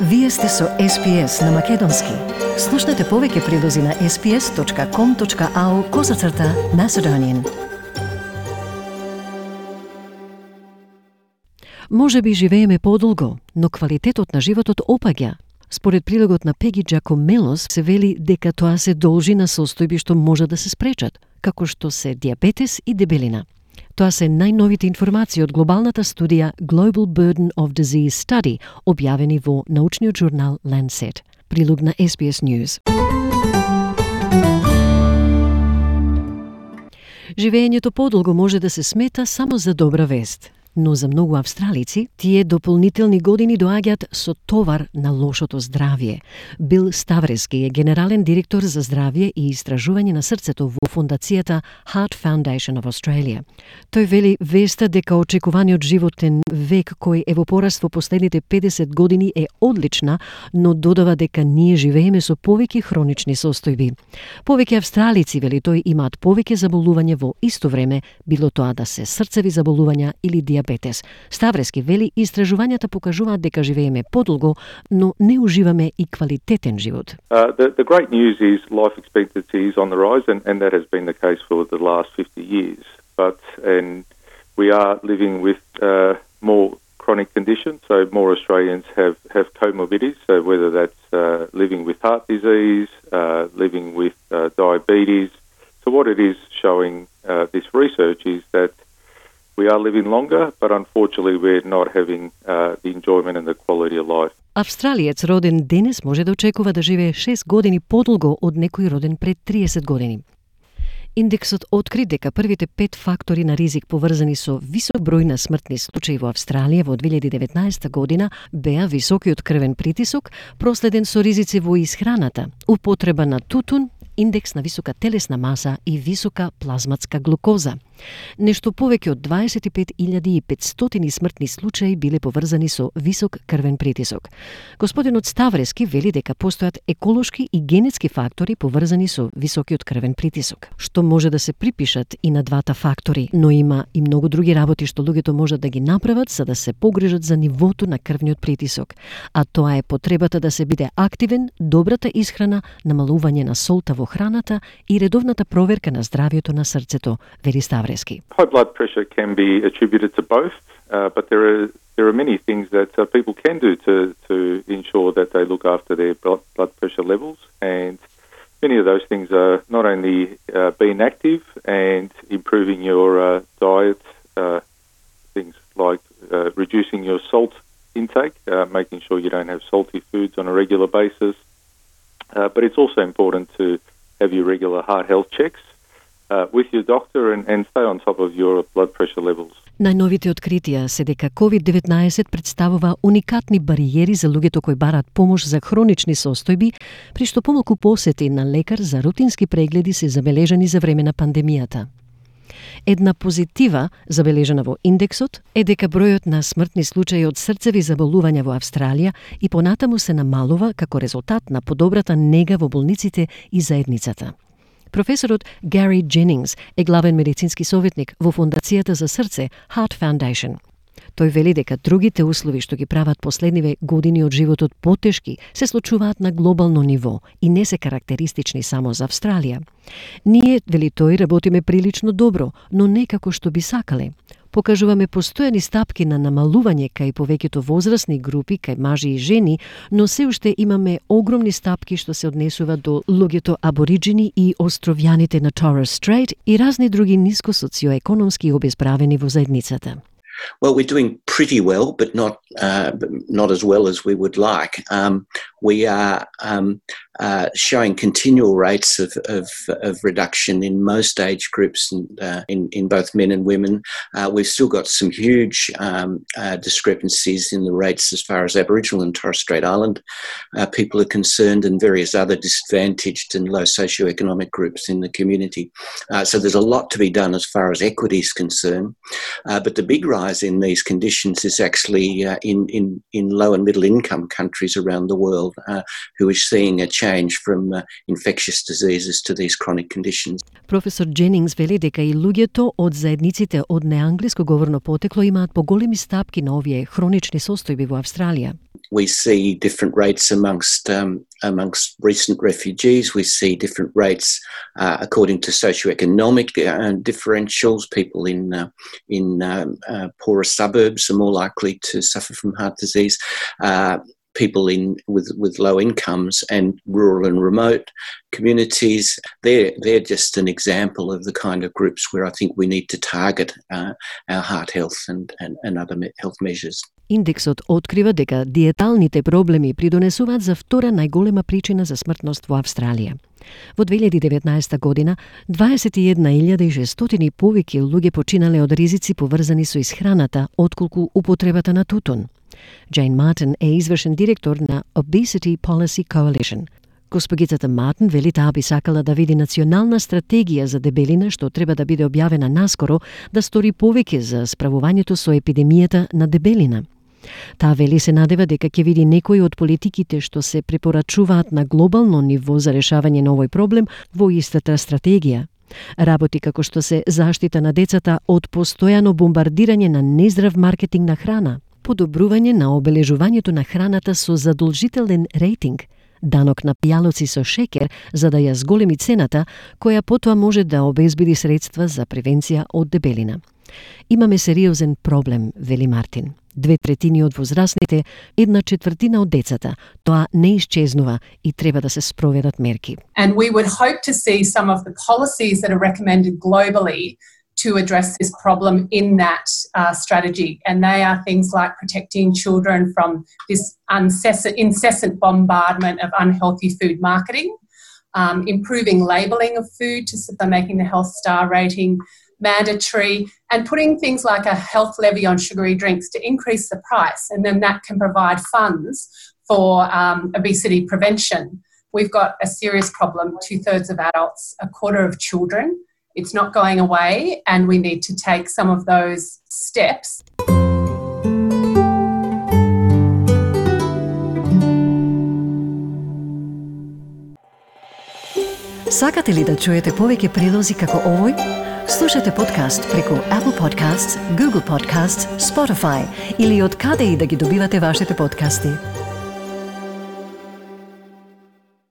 Вие сте со SPS на Македонски. Слушнете повеќе прилози на sps.com.au/Macedonian. Може би живееме подолго, но квалитетот на животот опаѓа. Според прилогот на Пеги Джакомелос се вели дека тоа се должи на состојби што може да се спречат, како што се диабетес и дебелина. Тоа се најновите информации од глобалната студија Global Burden of Disease Study, објавени во научниот журнал Lancet. Прилог на SBS News. Живеењето подолго може да се смета само за добра вест. Но за многу австралици, тие дополнителни години доаѓаат со товар на лошото здравје. Бил Ставрески е генерален директор за здравје и истражување на срцето во фондацијата Heart Foundation of Australia. Тој вели веста дека очекуваниот животен век кој е во пораст во последните 50 години е одлична, но додава дека ние живееме со повеќе хронични состојби. Повеќе австралици, вели тој, имаат повеќе заболување во исто време, било тоа да се срцеви заболувања или диабетес. Ставрески вели истражувањата покажуваат дека живееме подолго, но не уживаме и квалитетен живот. The great news is life expectancy is on the rise, and that has been the case for the last 50 years. And we are living with more chronic conditions, so more Australians have comorbidities, so whether that's living with heart disease, living with diabetes. So what it is showing this research is that we are living longer, but unfortunately we're not having the enjoyment and the quality of life. Австралиец роден денес може да очекува да живее 6 години подолго од некој роден пред 30 години. Индексот откри дека првите 5 фактори на ризик поврзани со висок број на смртни случаи во Австралија во 2019 година беа високиот крвен притисок, проследен со ризици во исхраната, употреба на тутун, индекс на висока телесна маса и висока плазматска глукоза. Нешто повеќе од 25.500 смртни случаи биле поврзани со висок крвен притисок. Господинот Ставрески вели дека постојат еколошки и генетски фактори поврзани со високиот крвен притисок, што може да се припишат и на двата фактори, но има и многу други работи што луѓето можат да ги направат за да се погрижат за нивото на крвниот притисок, а тоа е потребата да се биде активен, добрата исхрана, намалување на солта во храната и редовната проверка на здравјето на срцето, вели Ставрески. High blood pressure can be attributed to both, but there are many things that people can do to ensure that they look after their blood pressure levels, and many of those things are not only being active and improving your diet, things like reducing your salt intake, making sure you don't have salty foods on a regular basis, but it's also important to have your regular heart health checks with your doctor and stay on top of your blood pressure levels. Најновите откритија се дека COVID-19 представува уникатни бариери за луѓето кои бараат помош за хронични состојби, при што помалку посети на лекар за рутински прегледи се забележани за време на пандемијата. Една позитива, забележана во индексот, е дека бројот на смртни случаи од срцеви заболувања во Австралија и понатаму се намалува како резултат на подобрата нега во болниците и заедницата. Професорот Гари Дженингс е главен медицински советник во фондацијата за срце Heart Foundation. Тој вели дека другите услови што ги прават последниве години од животот потешки се случуваат на глобално ниво и не се карактеристични само за Австралија. Ние, вели тој, работиме прилично добро, но не како што би сакале. Покажуваме постојани стапки на намалување кај повеќето возрастни групи, кај мажи и жени, но се уште имаме огромни стапки што се однесува до луѓето абориджини и островјаните на Torres Strait и разни други ниско социоекономски обезправени во заедницата. Well, we're doing pretty well, but not as well as we would like. We are showing continual rates of reduction in most age groups in both men and women. We've still got some huge discrepancies in the rates as far as Aboriginal and Torres Strait Island people are concerned, and various other disadvantaged and low socioeconomic groups in the community. So there's a lot to be done as far as equity is concerned. But the big rise in these conditions is actually in low and middle income countries around the world who is seeing a change from infectious diseases to these chronic conditions. Професор Дженингс вели дека и луѓето од заедниците од неанглиско говорно потекло имаат поголеми стапки на овие хронични состојби во Австралија. we see different rates amongst recent refugees. We see different rates according to socioeconomic differentials. People in poorer suburbs are more likely to suffer from heart disease. People with low incomes and rural and remote communities, they're just an example of the kind of groups where I think we need to target our heart health and other health measures. Индексот открива дека диеталните проблеми придонесуваат за втора најголема причина за смртност во Австралија. Во 2019 година 21.600 повеќе луѓе починале од ризици поврзани со исхраната отколку употребата на тутун. Джейн Мартин е извршен директор на Obesity Policy Coalition. Госпогицата Мартин вели таа би сакала да види национална стратегија за дебелина што треба да биде објавена наскоро да стори повеќе за справувањето со епидемијата на дебелина. Таа вели се надева дека ќе види некои од политиките што се препорачуваат на глобално ниво за решавање на овој проблем во истата стратегија. Работи како што се заштита на децата од постојано бомбардирање на нездрав маркетинг на храна, подобрување на обележувањето на храната со задолжителен рейтинг, данок на пијалоци со шекер за да ја зголеми цената, која потоа може да обезбеди средства за превенција од дебелина. Имаме сериозен проблем, вели Мартин. 2/3 од возрастните, 1/4 од децата. Тоа не исчезнува и треба да се спроведат мерки. And we would hope to see some of the policies that are recommended globally to address this problem in that strategy. And they are things like protecting children from this incessant bombardment of unhealthy food marketing, improving labelling of food by making the health star rating mandatory, and putting things like a health levy on sugary drinks to increase the price, and then that can provide funds for obesity prevention. We've got a serious problem, 2/3 of adults, a quarter of children. It's not going away, and we need to take some of those steps. Сакате ли да чуете повеќе прилози како овој? Слушате подкаст преку Apple Podcasts, Google Podcasts, Spotify или од каде и да ги добивате вашите подкасти.